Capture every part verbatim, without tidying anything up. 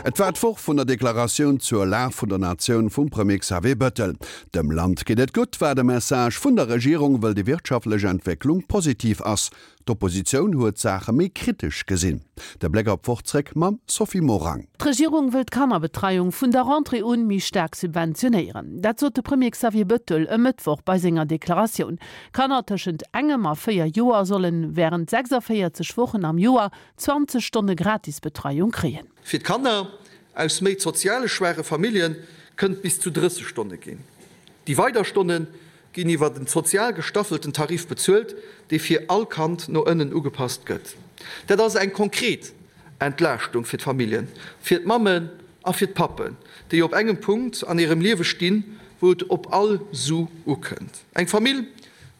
Et war d'Woch vun der Deklaratioun zur Lag vun der Natioun vum Premier Xavier Bettel. Dem Land geet et gutt, war de Message vun der Regierung, wëll déi wirtschaftlech Entwécklung positiv ass. D'Oppositioun huet d'Saache méi kritesch gesinn. De Bléck op d'Woch zréck mam Sophie Morang. D'Regierung wëll d'Kannerbetreiung vun der Rentrée un méi staark subventionéieren. Dat sot de Premier Xavier Bettel e Mëttwoch bei senger Deklaratioun. Kanner tëschent engem a véier Joer sollen wärend sechsundvéierzeg Wochen am Joer zwanzeg Stonne Gratisbetreiung kréien. Fir d'Kanner aus méi soziale schwaache Famillje kënnt bis zu drësseg Stonne ginn. Déi weider Stonne ginn iwwer den sozial gestaffelten Tarif bezuelt, dee fir all Kand no ënnen ugepasst gëtt. Dat ass eng konkret Entlaaschtung fir d'Familljen, fir d'Mammen a fir d'Pappen, déi op engem Punkt an hirem Liewe stinn, wou et op all Su ukënnt. Eng Famill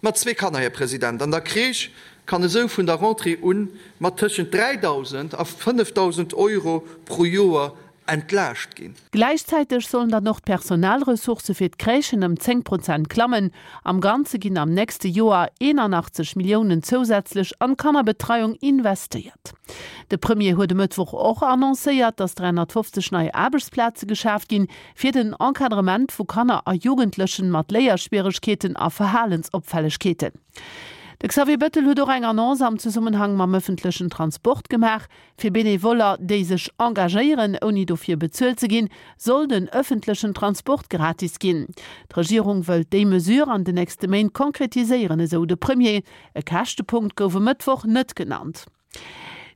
mat zwee Kanner, Här President, an der Crèche kann esou vun der Rentrée un mat tëschent dräidausend a fënnefdausend Euro pro Joer entlaascht ginn. Gläichzäiteg sollen dann och d'Personalressourcë fir d'Crèchen ëm zéng Prozent klammen. Am Ganze ginn am nächste Joer eenanachtzeg Milliounen zousätzlech an d'Kannerbetreiung investéiert. De Premier huet e Mëttwoch och annoncéiert, datt dräihonnertfofzeg nei Aarbechtsplaze geschaaft ginn, fir den Encadrement vu Kanner a Jugendlechen mat Léierschwieregkeeten a Verhalensopfällegkeeten. De Xavier Bettel huet och eng Annonce am Zesummenhang mam ëffentlechen Transport gemaach. Fir Benevoller, déi sech engagéieren, ouni dofir bezuelt ze ginn, soll den ëffentlechen Transport gratis ginn. D'Regierung wëllt déi Mesure an den nächste Méint konkretiséieren, esou de Premier. E Käschtepunkt gouf e Mëttwoch net genannt.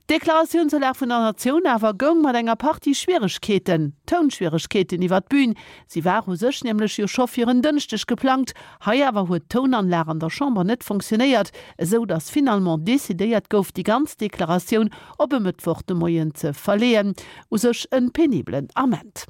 D'Deklaratioun zur Lag vun der Natioun awer goung mat enger Partie Schwieregkeeten, Tounschwieregkeeten iwwer d'Bün. Si war u sech nämlech jo scho fir en Dënschdeg geplangt. Hei awer huet d'Tounanlag an der Chamber net funktionéiert, esou datt finalement decidéiert gouf, déi ganz Deklaratioun op e Mëttwoch de Moien ze verleeën. U sech e penibelen Ament.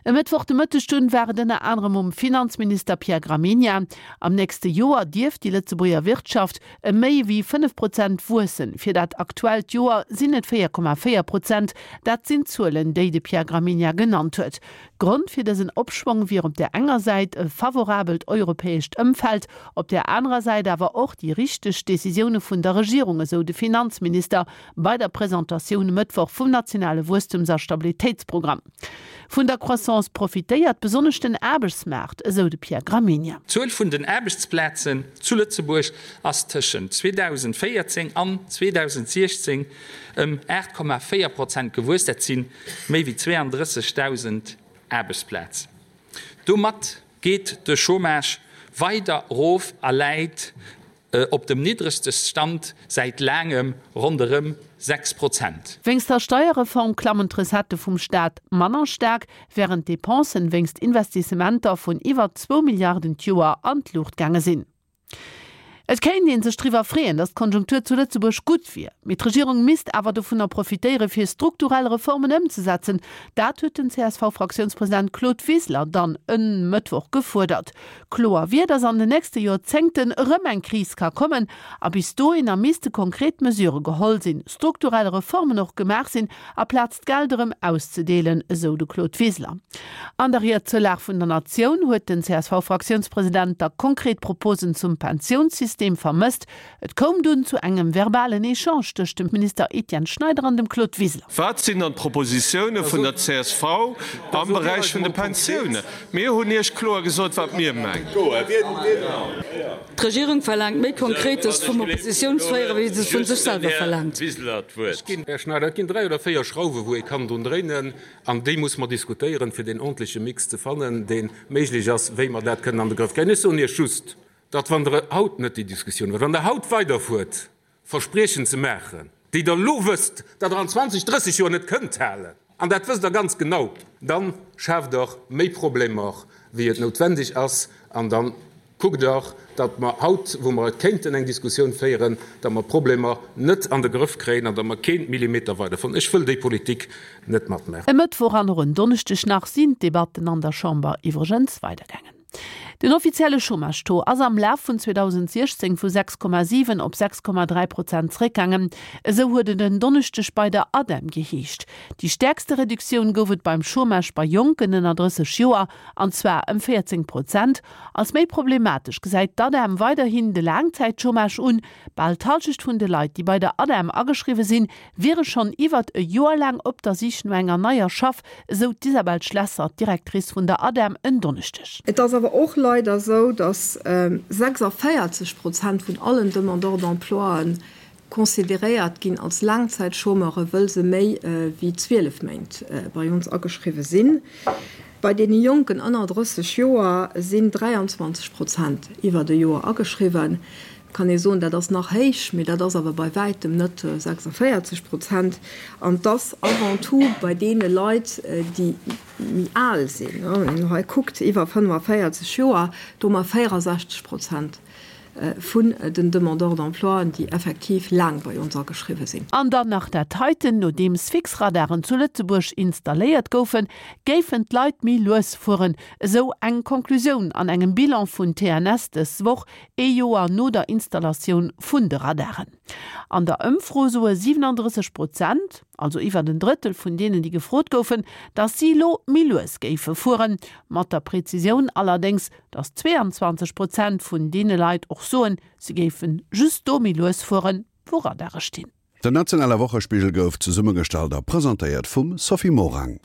E Mëttwoch de Mëtteg dunn war et ënner anerem um Finanzminister Pierre Gramegna. Am nächste Joer dierft déi Lëtzebuerger Wirtschaft ëm méi wéi fënnef Prozent wuessen. Fir dat aktuellt Joer sinn et véier Komma véier Prozent. Dat sinn d'Zuelen, déi de Pierre Gramegna genannt huet. Grond fir dësen Opschwong wier op där enger Säit e favorabelt europäescht Ëmfeld, op där anerer Säit awer och déi richteg Decisioune vun der Regierung, esou de Finanzminister bei der Presentatioun e Mëttwoch vum nationale Wuesstums a Stabilitéitsprogramm. Vun der Croissance profitéiert besonnesch den Aarbechtsmaart, esou de Pierre Gramegna. D'Zuel vun den Aarbechtsplazen zu Lëtzebuerg ass tëschent zweedausendvéierzéng an zweedausendsechzéng ëm aacht Komma véier Prozent gewuess. Dat si méi wéi zweeëndrëssegdausend Aarbechtsplazen. Domat geet de Chômage weider erof a läit op dem niddregste Stand säit laangem, ronderëm sechs Prozent. Wéinst der Steierreform klammen d'Recettë vum Staat manner staark, wärend d'Depensen wéinst Investissementer vun iwwer zwou Milliarden d'Joer an d'Luucht gaange sinn. Et kéint ee sech driwwer freeën, datt d'Konjunktur zu Lëtzebuerg gutt wier, mee d'Regierung misst awer dovunner profitéiere fir strukturell Reformen ëmzesetzen. Dat huet den C S V-Fraktiounspresident Claude Wiseler dann e Mëttwoch gefuerdert. Kloer wier, datt an den nächste Joerzéngten erëm eng Kris ka kommen a bis dohinner misste konkret Mesure geholl sinn, strukturell Reformen och gemaach sinn, aplaz d'Geld erëm auszedeelen, esou de Claude Wiseler. An der Ried zur Lag vun der Natioun huet den C S V-Fraktiounspresident da konkret Proposen zum Pensiounssystem vermësst. Et koum dunn zu engem verbalen Echange tëscht dem Minister Etienne Schneider an dem Claude Wiseler. Wat sinn dann d'Propositioune vun der C S V am Beräich vun de Pensioune? Mir hunn Iech kloer gesot, wat mir mengen. D'Regierung verlaangt méi Konkretes vum Oppositiounsféierer, wéi se vun sech selwer verlaangt. Här Schneider, et ginn dräi oder véier Schrauwe wou ee kann drun dréinen, an déi muss mer diskutéieren, fir den ordentleche Mix ze fannen, dee méiglech ass, wéi mer dat kënnen an de Grëff kréien. Ech soen Iech just, datt wann der haut net déi Diskussioun huet, wann der haut weiderfuert, Verspriechen ze maachen, déi der lo wësst, datt der an zwanzeg, drësseg Joer net kënnt halen, an dat wësst der ganz genau, dann schaaft der méi Problemer, wéi et noutwendeg ass, an dann kuckt der, datt mer haut, wou mer et kéinten eng Diskussioun féieren, datt mer Problemer net an de Grëff kréien an datt mer keen Millimeter weiderfahren. Ech wëll déi Politik net matmachen. E Mëttwoch an och en Donneschdeg nach sinn d'Debatten an der Chamber iwwregens weidergaangen. Den offizielle Chômage-Taux ass am Laf vun zweedausentsiechzéng vu sechs Komma siwen op sechs Komma dräi Prozent zeréckgaangen, esou huet et en Donneschdeg bei der ADEM geheescht. Déi stäerkste Reduktioun gouf et beim Chômage bei Jonken ënner drësseg Joer, an zwar ëm véierzéng Prozent. Als méi problematesch gesäit d'ADEM weiderhin de Laangzäitchômage un. Bal d'Hallschecht vun de Leit, déi bei der ADEM ageschriwwe sinn, wiere schonn iwwert e Joer laang op der Sich no enger neier Schaff, esou d'Isabelle Schlesser, d'Directrice vun der ADEM en Donneschdeg. Et ass awer och leider esou, datt sechsundvierzig Prozent vun allen Demandeurs d'emploien consideréiert ginn als Laangzäitchômeure, wëll se méi wéi zwielef Méint bei ons ageschriwwe sinn. Bei deene Jonken ënner drësseg Joer sinn dräianzwanzeg Prozent iwwert e Joer ageschriwwen. Kann ee soen, dat ass nach héich, mee dat ass awer bei wäitem net sechsundvéierzeg Prozent. An et ass avant tout bei deene Leit, déi méi al sinn, wann een hei kuckt, iwwer fënnefenvéierzeg Joer, do hu mer véierundsechzeg Prozent vun den Demandeurs d'emploien, déi effektiv laang bei ons ageschriwwe sinn. An dann nach dat heiten, Nodeems fix Radaren zu Lëtzebuerg installéiert goufen, géifen d'Leit méi lues fueren, esou eng Konklusioun an engem Bilan vun T N S dës Woch, ee Joer no der Installatioun vun de Radaren. An der Ëmfro soe siewenunddrësseg Prozent, also iwwer en Drëttel vun deenen, déi gefrot goufen, datt si elo méi lues géife fueren. Mat der Prezisioun allerdéngs, datt zweeanzwanzeg Prozent vun deene Leit och soen, se géife just do méi lues fueren, wou Radare stinn. Den nationale Wochespigel gouf zesummegestallt a presentéiert vum Sophie Morang.